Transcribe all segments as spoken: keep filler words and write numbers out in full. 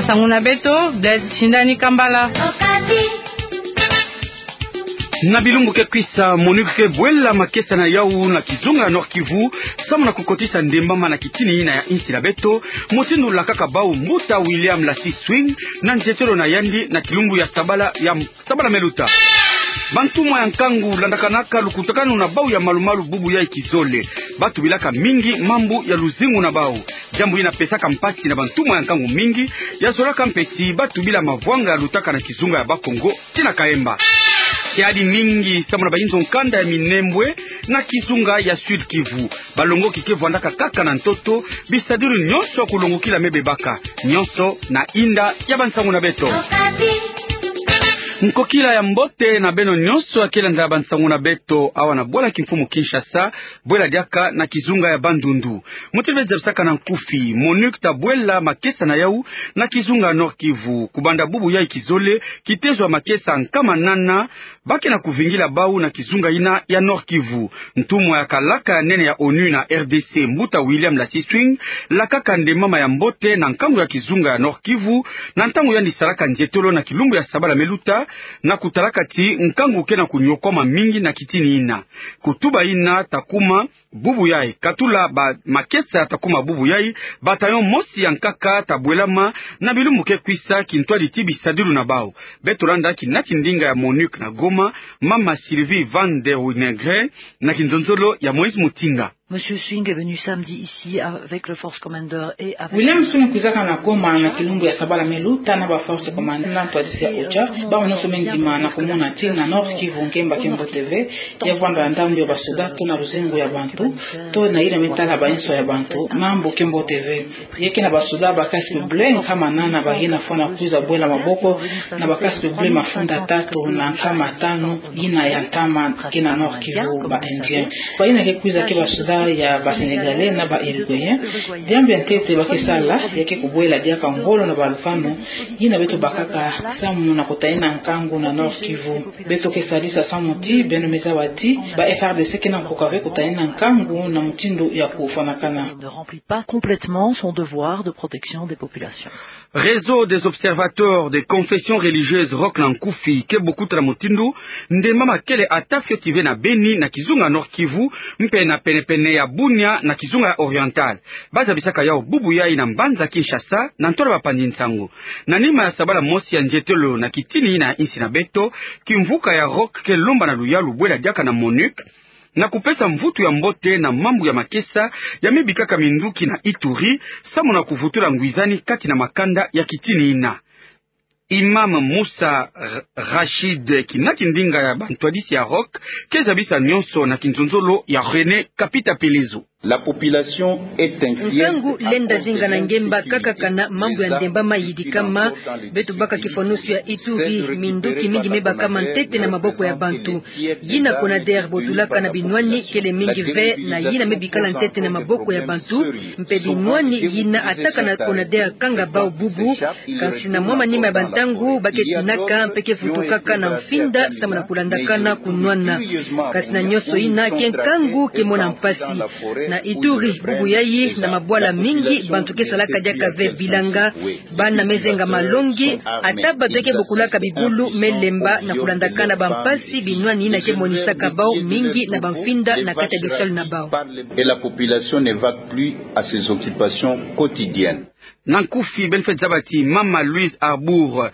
Nsangu na beto, Blaise Shindani Kambala. Na bilumbu ke kwisa, MONUC ke bwela makesa na yawu na kizunga ya Nord-Kivu, samu na kukotisa ndembama na kitini ina ya insi na beto, mosi ndu lakaka bawu mbuta William Lassie Swing, na nzietolo na yandi na kilumbu ya sabala ya sabala meluta. Bantumwa ya nkangu landakanaka lukutakanu na bawu ya malumalu bubu yayi kizole. Ba tubilaka mingi mambu ya luzingu na bawu. Diambu ina pesaka mpasi na bantumwa ya nkangu mingi, ya zolaka mpe ti ba tubila mavwanga ya lutaka na kizunga ya Bakongo, tii na Kahemba. Kiadi mingi samu na bayinzo nkanda ya Minembwe na kizunga ya Sud-Kivu. Balongoki ke vwandaka kaka na ntoto, bisadilu nyonso ya kulongokila me bebaka, nyonso na inda ya bansangu na beto. Nkokila ya mbote na beno nyonso ya ke landa bansangu na beto awa na bwala kimfumu Kinshasa, bwela diaka na kizunga ya Bandundu. Muti nde zabisaka na nkufi, MONUC ta bwela makesa na yawu na kizunga ya Nord-Kivu. Kubanda bubu yayi kizole, kitezo ya makesa nkama nana ba ke na kuvingila bawu na kizunga ina ya Nord-Kivu. Ntumwa ya kalaka ya nene ya ONU na R D C, mbuta William Lassie Swing, lakaka ndembama ya mbote na nkangu ya kizunga ya Nord-Kivu, na ntangu yandi salaka nzietolo na kilumbu ya sabala meluta, na kutalaka ti nkangu ke na kunyokwama mingi na kitini ina. Kutuba ina ta kuma bubu yayi, katula ba makesa ta kuma bubu yayi, bataillon mosi ya nkaka ta bwelama na bilumbu ke kwisa, kintwadi ti bisadilu na bawu. Beto landa kinati ndinga ya MONUC na Goma, mama Sylvie Van der Wingeren, na kinzonzolo ya Moïse Mutinga. Monsieur Swing est venu samedi ici avec le force commander et avec William Swing kwizaka na Goma na kilumbu ya sabala meluta na ba force commander na ntwadisi ya OCHA. Bawu nyonso me ndima na kumona ti na Nord-Kivu ngemba ke mbote ve, ya vwanda na ndambu ya basoda to na luzingu ya bantu, to na yina me tala bayinso ya bantu, mambu ke mbote ve. Ya ke na basoda ba casque bleu nkama nana, bayina fwana kwiza bwela maboko na ba casque bleu mafunda tatu na nkama tanu, yina ya ntama ke na Nord-Kivu, ba Indiens. Bayina ke kwiza ke basoda ya ba Sénégalais na ba Uruguayens. Diambu ya ntete ba ke sala, ya ke kubwela diaka ngolo na balufano, yina beto bakaka samu na kutalina nkangu na Nord-Kivu. Beto ke sadisa samu ti beno me zaba ti ba F A R D C ke na nkoka ve kutalina nkangu na mutindu ya kufwanakana. Ne remplit pas complètement son devoir de protection des populations. Réseau des observateurs des confessions religieuses, ROC na nkufi, ke bukuta na mutindu ndembama kele ata fioti ve na Beni na kizunga Nord-Kivu, mpe na penepene ya Bunia na kizunga ya Oriental. Ba zabisaka yawu bubu yayi na mbanza Kinshasa, na ntola bapanzi nsangu. Na nima ya sabala mosi ya nzietolo na kitini ina ya insi na beto, kimvuka ya ROC ke lomba na luyalu bwela diaka na MONUC, na kupesa mvutu ya mbote na mambu ya makesa ya me bikaka minduki na Ituri, samu na kuvutula ngwizani kati na makanda ya kitini ina. Imam Musa R-, Rachid, kinati ndinga ya bantwadisi ya ROC, ke zabisa nyonso na kinzonzolo ya René Kapita Pelezo. La population est inquiète. Nsangu lenda zinga na ngemba kakaka na mambu ya ndembama yidikama. Beto baka kifwanusu ya Ituri, minduki mingi me bakama ntete na maboko ya bantu. Yina CONADER botulaka na binwani kele mingi ve na yina me bikala ntete na maboko ya bantu, mpe binwani yina ata kana CONADER kanga bawu bubu, kasi na mwa manima ya bantangu ba ke tinaka mpe ke vutukaka na mfinda samu na kulandakana kunwana. Kasi na nyonso yina, ke nkangu ke mona mpasi. Na Ituri, bubu yayi, na mabwala mingi, bantu ke salaka diaka ve bilanga, bana me zenga malongi, ata bato ke bokulaka bibulu me lemba na kulandakana bampasi binwani yina ke monisaka bawu mingi na bamfinda na kati ya bisalu na bawu. Et la population ne vaque plus à ses occupations quotidiennes. Na nkufi, beno fweti zaba ti Mama Louise Arbour,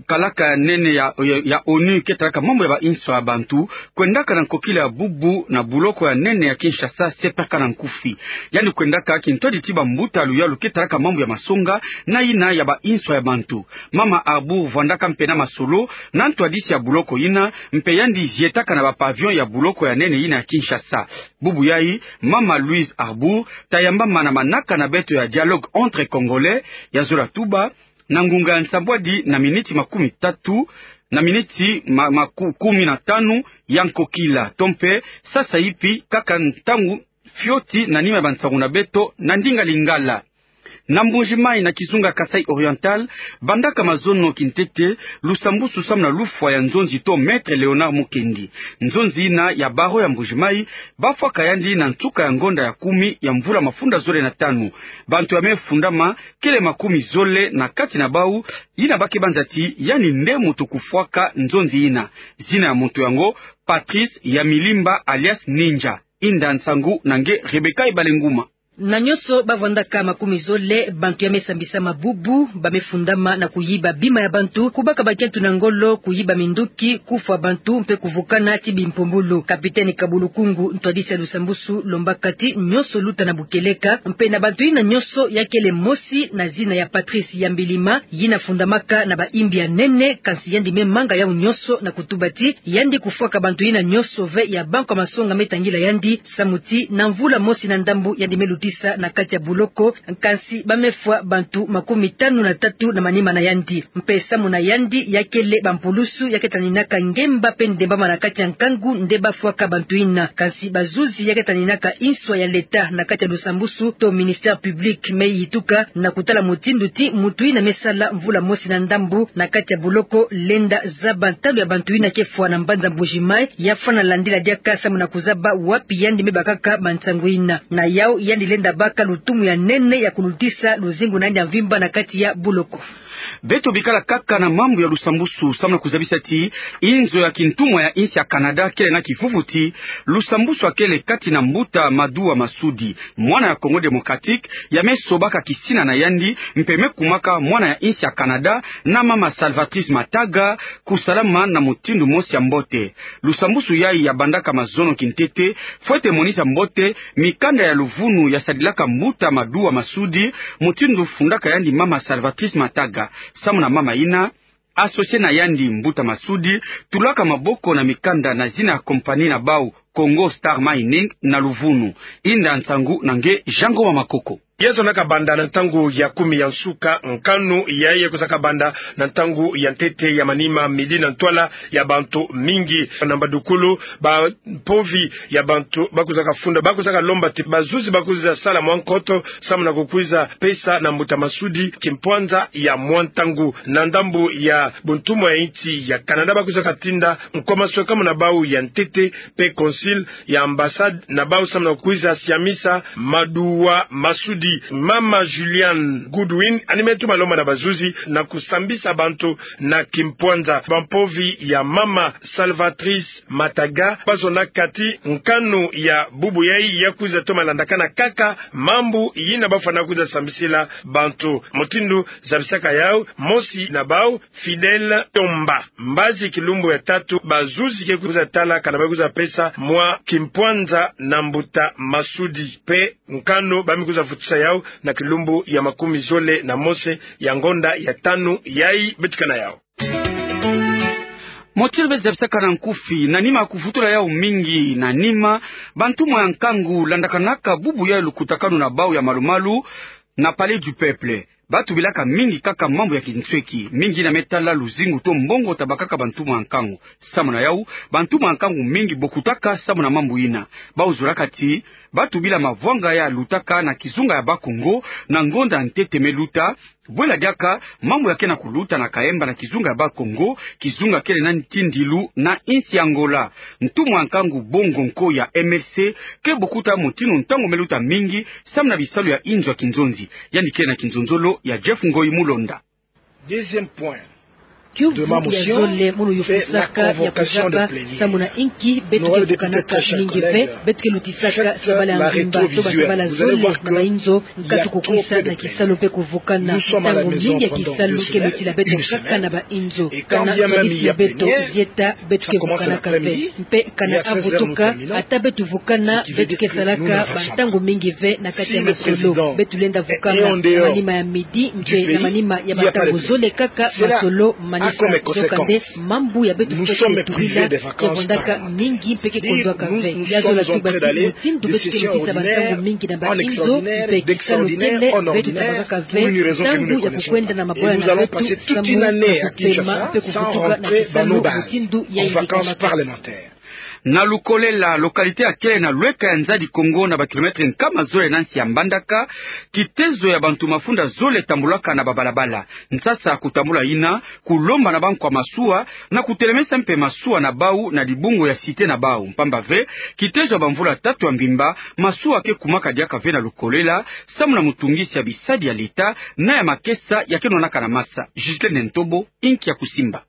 kalaka ya nene ya, ya, ya ONU ke talaka mambu ya bainso ya bantu, kwendaka na nkokila ya bubu na buloko ya nene ya Kinshasa, sepaka na nkufi. Yandi kwendaka kintwadi ti bambuta luyalu ke talaka mambu ya masonga na yina ya bainso ya bantu. Mama Arbour vwandaka mpe na masolo na ntwadisi ya buloko yina, mpe yandi zietaka na ba pavillon ya buloko ya nene yina ya Kinshasa. Bubu yayi, Mama Louise Arbour tayamba mana manaka na beto ya Dialogue entre Congolais, ya zola tuba na ngunga ya nsambwadi na miniti makumi tatu, na miniti ma-, maku-, kumi na tanu ya nkokila, to mpe sasa ipi kaka ntangu fioti na nima ya bansangu na beto na ndinga Lingala. Na Mbuji-Mayi, na kizunga Kasaï Oriental, bandaka mazono kintete lusambusu samu na lufwa ya nzonzi to Maître Léonard Mukendi. Nzonzi yina ya barreau ya Mbuji-Mayi bafwaka yandi na nsuka ya ngonda ya kumi ya mvula mafunda zole na tanu. Bantu ya me fundama kele makumi zole na kati na bau, yina ba ke banza ti yandi nde muntu kufwaka nzonzi yina. Zina ya muntu yango, Patrice Yamilimba alias Ninja. Inda nsangu na nge Rebecca Ibalenguma. Na nyonso ba vwandaka makumi zole, bantu ya me sambisama bubu, ba me fundama na kuyiba bima ya bantu, kubaka bakiantu na ngolo, kuyiba minduki, kufwa bantu, mpe kuvukana ti bimpumbulu. Capitaine Kabulukungu, ntwadisi ya lusambusu, lombaka ti nyonso luta na bukeleka, mpe na bantu yina nyonso ya kele mosi na zina ya Patrice Yambilima, yina fundamaka na bayimbi ya nene, kansi yandi me manga yau nyonso na kutuba ti yandi kufwaka bantu yina nyonso ve ya bankwa masonga me tangila yandi, samu ti na mvula mosi na ndambu yandi me lutisa na kati ya buloko, kansi ba me fwa bantu makumi tanu na tatu na manima na yandi. Mpe samu na yandi ya kele bampulusu ya ke taninaka ngemba mpe ndembama na kati ya nkangu nde ba fwaka bantu yina. Kansi bazuzi ya ke taninaka inswa ya leta na kati ya lusambusu to ministère public me yituka na kutala mutindu ti muntu yina me sala mvula mosi na ndambu na kati ya buloko lenda zaba ntalu ya bantu yina ke fwa na mbanza Mbuji-Mayi, ya fwana landila diaka samu na kuzaba wapi yandi me bakaka bansangu yina. Na yau yandi lenda baka lutumu ya nene ya kulutisa luzingu na yandi ya mvimba na kati ya buloko. Beto bikala kaka na mambu ya lusambusu samu na kuzabisa ti inzo ya kintumwa ya insi ya Canada kele na kivuvu ti lusambusu ya kele kati na mbuta Maduwa Masudi, mwana ya Congo Démocratique, ya me sobaka kisina na yandi, mpe me kumaka mwana ya insi ya Canada, na mama Salvatrice Mataga, kusalama na mutindu mosi ya mbote. Lusambusu yai ya bandaka mazono kintete, fwete monisa mbote mikanda ya luvunu ya sadilaka mbuta Maduwa Masudi, mutindu fundaka yandi mama Salvatrice Mataga. Samu na mama yina, associé na yandi mbuta Masudi tulaka maboko na mikanda na zina ya compagnie na bau, Congo Star Mining, na luvunu. Inda nsangu na nge Jean Ngoma Makoko. Ya zonaka banda na ntangu ya kumi ya nsuka, nkanu yai ya kuzaka banda na ntangu ya ntete ya manima, midi, na ntwala ya bantu mingi na mbadukulu, bampovi ya bantu ba kuzaka funda, ba kuzaka lomba ti bazuzi ba kwiza sala mwa nkoto samu na kukwiza pesa na mbuta Masudi kimpwanza ya mwa ntangu. Na ndambu ya buntumwa ya insi ya Canada ba kwiza katinda nkomaso kamu na bau ya ntete, mpe consul ya ambassade na bau samu na kwiza siamisa Maduwa Masudi. Mama Julianne Goodwin anime tuma lomba na bazuzi na kusambisa bantu na kimpwanza. Bampovi ya mama Salvatrice Mataga ba zonaka ti nkanu ya bubu yai ya kwiza toma landakana kaka mambu yina ba fwana kwiza sambisila bantu. Mutindu zabisaka yau mosi na bau, Fidèle Tomba. Mbazi kilumbu ya tatu, bazuzi ke kwiza tala kana ba kwiza pesa mwa kimpwanza na mbuta Masudi. Mpe nkanu ba me kwiza vutisa yau na kilumbu ya makumi zole na mosi ya ngonda ya tanu yai beto ke na yau. Mutindu beto zabisaka na nkufi, na nima ya kuvutula yau mingi na nima, bantumwa ya nkangu landakanaka bubu yai lukutakanu na bau ya malumalu na Palais du Peuple. Ba tubilaka mingi kaka mambu ya kinsweki, mingi yina me tala luzingu to mbongo ta bakaka bantumwa ya nkangu. Samu na yau, bantumwa ya nkangu mingi bokutaka samu na mambu yina. Bau zolaka ti ba tubila mavwanga ya lutaka na kizunga ya Bakongo na ngonda ya ntete me luta, bwela diaka mambu ya ke na kuluta na Kayemba na kizunga ya Bakongo, kizunga kele na ntindilu na insi ya Angola. Ntumwa ya nkangu Bongo Nkoya, M L C, ke bokuta mutindu ntangu me luta mingi samu na bisalu ya inzo ya kinzonzi. Yandi kele na kinzonzolo ya Jeff Ngoyi Mulonda. Deuxième point. Kiuvu ya zole mu luyufusaka ya kuzaba samu na inki beto ke vukanaka mingi ve, beto ke lutisaka sabala ya mvimba to ba sabala zole na bainzo, nkatu kukwisa na kisalu mpe kuvukana. Ntangu mingi ya kisalu ke lutila beto kaka na bainzo. Kana ntwadisi ya beto zieta, beto ke vukanaka ve. Mpe kana avutuka, ata beto vukana, beto ke salaka bantangu mingi ve na kati ya masolo. Beto lenda vukana na manima ya midi, mpe na manima ya bantangu zole kaka masolo manisa. Yokande mambu ya beto fwete tubila ke vwandaka mingi mpe ke kondwaka ve. Ya zola tuba ti mutindu beto ke lutisa bantangu mingi na bainzo, mpe kisalu kele, beto ta bakaka ve ntangu ya kukwenda na mabwala na beto samu na kupema mpe kuvutuka na kisalu mutindu ya yirika makasi. Na Lukolela, localité ya kele na lweka ya Nzadi Kongo, na ba kilomètre nkama zole na nsi ya Mbandaka, kitezo ya bantu mafunda zole tambulaka na babalabala. Nsasa ya kutambula yina kulomba na bankwa masuwa na kutelemesa mpe masuwa na bau na dibungu ya cité na bau. Mpamba ve, kitezo ya bamvula tatu ya mvimba, masuwa ke kumaka diaka ve na Lukolela, samu na mutungisi ya bisadi ya leta na ya makesa ya ke nwanaka na masa. Ghislaine Ntobo, inki ya kusimba.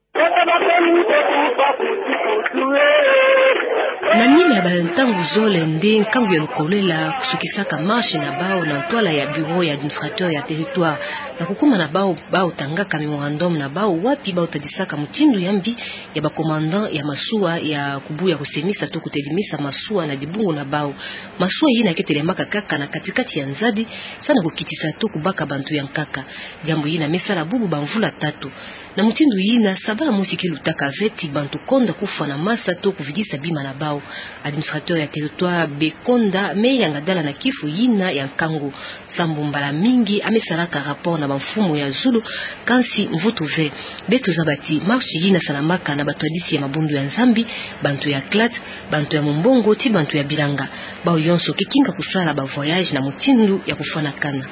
Na nima ya bantangu zole nde nkangu ya Lukolela kusukisaka marche na bau na ntwala ya bureau ya administrateur ya territoire. Na kukuma na bau, bau tangaka mémorandum na bau wapi bau tadisaka mutindu ya mbi ya ba commandant ya masuwa ya kubuya kusemisa to kutelemisa masuwa na dibungu na bau. Masuwa yina ke telemaka kaka na katikati ya Nzadi, samu na kukitisa to kubaka bantu ya nkaka. Diambu yina me sala bubu bamvula tatu. Na mutindu yina, sabala mosi ke lutaka ve ti bantu konda kufwa na masa to kuvidisa bima na bau. Administrateur ya territoire Bekonda me yanga dala na kifu yina ya nkangu, sambu mbala mingi ame salaka rapport na bamfumu ya zulu, kansi mvutu ve. Beto zaba ti marche yina salamaka na batwadisi ya mabundu ya Nzambi, bantu ya CLAT, bantu ya mumbongo ti bantu ya bilanga. Bau yonso ke kinga kusala ba voyage na mutindu ya kufwanakana.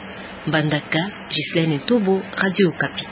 Mbandaka, Ghislaine Ntobo, Radio Okapi.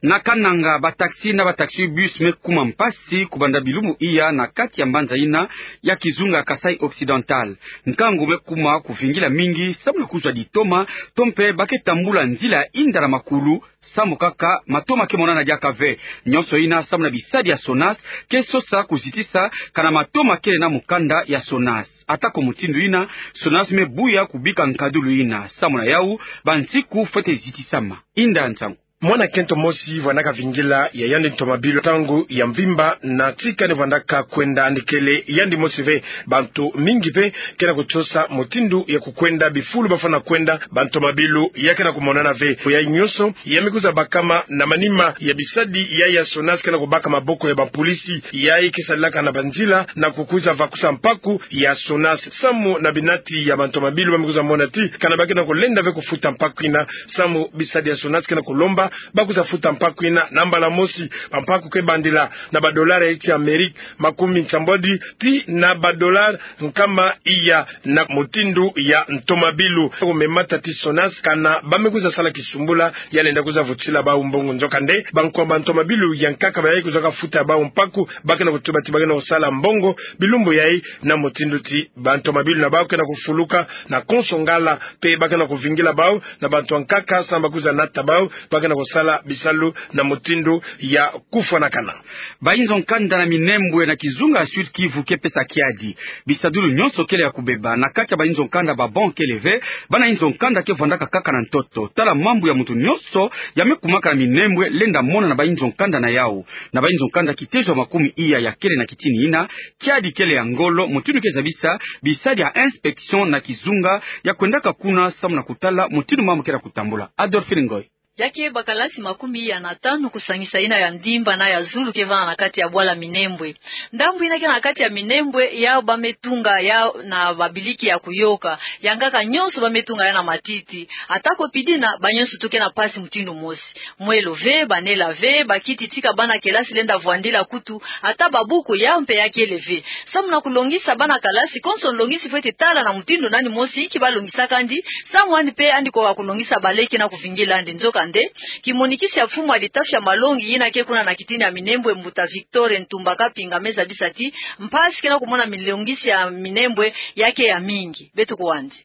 Na Kananga, ba taxi na ba taxi-bus me kuma mpasi kubanda bilumbu iya na kati ya mbanza yina ya kizunga ya Kasaï Occidental. Nkangu me kuma kuvingila mingi samu na kuzwa ditoma, to mpe ba ke tambula nzila ya inda na makulu, samu kaka matoma ke monana diaka ve. Nionso yina samu na bisadi ya SONAS ke sosa kuzitisa kana matoma kele na mukanda ya SONAS. Atako mutindu yina, SONAS me buya kubika nkadulu yina. Samu na yau, bansiku fwete zitisama. Inda nsangu. Mwana kento mosi vandaka vingila ya yandi ntomabilu ntangu ya mvimba na ti kani vandaka kwenda, yandi kele yandi mosi ve. Bantu mingi ve ke na kusosa mutindu ya kukwenda, bifulu bafwana kwenda, bantomabilu ya ke na kumonana ve. Yayi nionso ya me kwiza bakama na manima ya bisadi ya, ya SONAS ke na kubaka maboko ya bapolisi yayi ke salaka na banzila na kukwiza vakusa mpaku ya SONAS. Samu na binati ya bantomabilu, ba me kwiza mona ti kana ba ke na kulenda ve kufuta mpaku yina, samu bisadi ya SONAS ke na kulomba ba kwiza futa mpaku yina na mbala mosi. Bampaku ke bandila na ba dollar ya nsi ya Amerika makumi nsambwadi ti na ba dollar nkama iya na mutindu ya ntomabilu. Ko me mata ti SONAS kana ba me kwiza sala kisumbula ya lenda kwiza vutisila bau mbongo. Nzokande, bankwa bantomabilu ya nkaka bayayi kwiza ka futa bau mpaku, ba ke na kutuba ti ba ke na kusala mbongo bilumbu yayi, na mutindu ti bantomabilu na bau ke na kufuluka na konso ngala, mpe ba ke na kuvingila bau na bantu ya nkaka samu ba kwiza nata bau, ba ke na kusala bisalu na mutindu ya kufwanakana. Bayinzo nkanda na Minembwe na kizunga ya Sud-Kivu ke pesa kiadi. Bisadulu nionso kele ya kubeba. Na kati ya bayinzo nkanda, ba bon kele ve, bana yinzo nkanda ke vandaka kaka na ntoto. Tala mambu ya muntu nionso ya me kumaka na Minembwe lenda mona na bayinzo nkanda na yau. Na bayinzo nkanda kitezo ya makumi iya ya kele na kitini yina, kiadi kele ya ngolo, mutindu ke zabisa bisadi ya inspection na kizunga ya kwendaka kuna samu na kutala mutindu mambu ke na kutambula. Adolphine Ngoy. Ya ke bakalasi makumi iya na tanu kusangisa yina ya ndimba na ya zulu ke vanda na kati ya bwala Minembwe. Ndambu yina ke na kati ya Minembwe, yau ba me tunga yau na babiliki ya kuyoka. Ya nkaka nionso ba me tunga yau na matiti. Atako pidina, ba nionso tu ke na mpasi mutindu mosi. Mwelo ve, banela ve, bakiti ti ka bana kelasi lenda vwandila kutu, ata babuku yau mpe ya kele ve. Samu na kulongisa bana kalasi, konso nlongisi fwete tala na mutindu nani mosi inki ba longisaka yandi, samu yandi mpe yandi koka kulongisa bale ke na kuvingila yandi. Nzokande, kimonikisi ya mfumu ya litafi ya malongi yina ke kuna na kitini ya Minembwe, mbuta Victor Ntumba Kapinga, me zabisa ti mpasi ke na kumona milongisi ya Minembwe ya ke ya mingi. Beto kuwa yandi.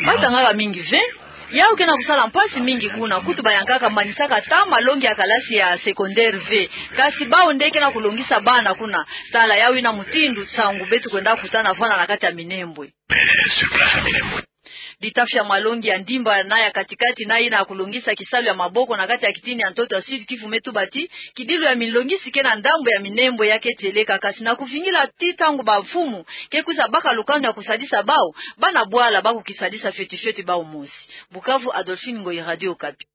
Ba tangaka mingi ve. Yau ke na kusala mpasi mingi kuna. Kutu ba ya nkaka manisaka ata malongi ya kalasi ya secondaire ve. Kasi bau nde ke na kulongisa bana kuna. Tala yau yina mutindu nsangu beto kwenda kutana vwanda na kati ya Minembwe. Litafi ya malongi ya ndimba na ya katikati na yina ya kulongisa kisalu ya maboko na kati ya kitini ya ntoto ya Sud-Kivu me tuba ti kidilu ya milongisi ke na ndambu ya Minembwe ya ke tieleka, kasi na kuvingila ti ntangu bamfumu ke kwiza baka lukanu ya kusadisa bau, bana bwala ba kukisadisa fioti fioti bau mosi. Bukavu, Adolphine Ngoyi, Radio Okapi.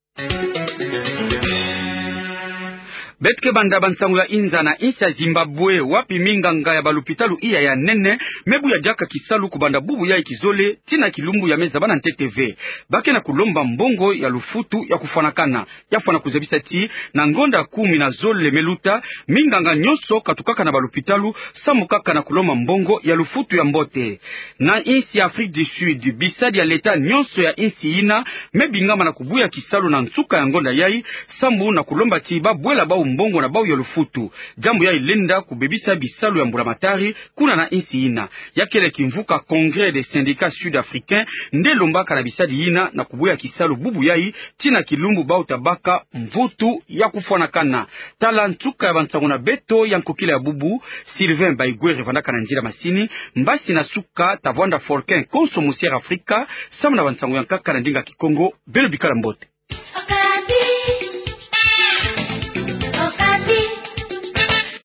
Beto ke banda bansango ya inza na insi ya Zimbabwe, wapi minganga ya balopitalo iya ya nene me buya diaka kisalu kubanda bubu yai kizole tii na kilumbu ya me zaba na ntete ve. Ba ke na kulomba mbongo ya lufutu ya kufwanakana. Ya fwana kuzabisa ti, na ngonda kumi na zole me luta, minganga nyonso katukaka na balopitalo, sambu kaka na kulomba mbongo ya lufutu ya mbote. Na insi ya Afrique du Sud, bisadi ya leta nyonso ya insi yina me bingama na kubuya kisalu na nsuka ya ngonda yai, sambu na kulomba ti ba bwela bau mbongo na bau ya lufutu. Diambu yai lenda kubebisa bisalu ya mbulamatari kuna na insi yina. Ya kele kimvuka Congrès des syndicats sud-africains nde lombaka na bisadi yina na kubuya kisalu bubu yai tii na kilumbu bau tabaka mvutu ya kufwanakana. Tala nsuka ya bansango na beto ya nkokila ya bubu. Sylvain Baigwere vandaka na nzila masini, mbasi na suka tavwanda Folkin konso musiere Afrika, sambu na bansango ya nkaka na ndinga Kikongo. Beno bikala mbote.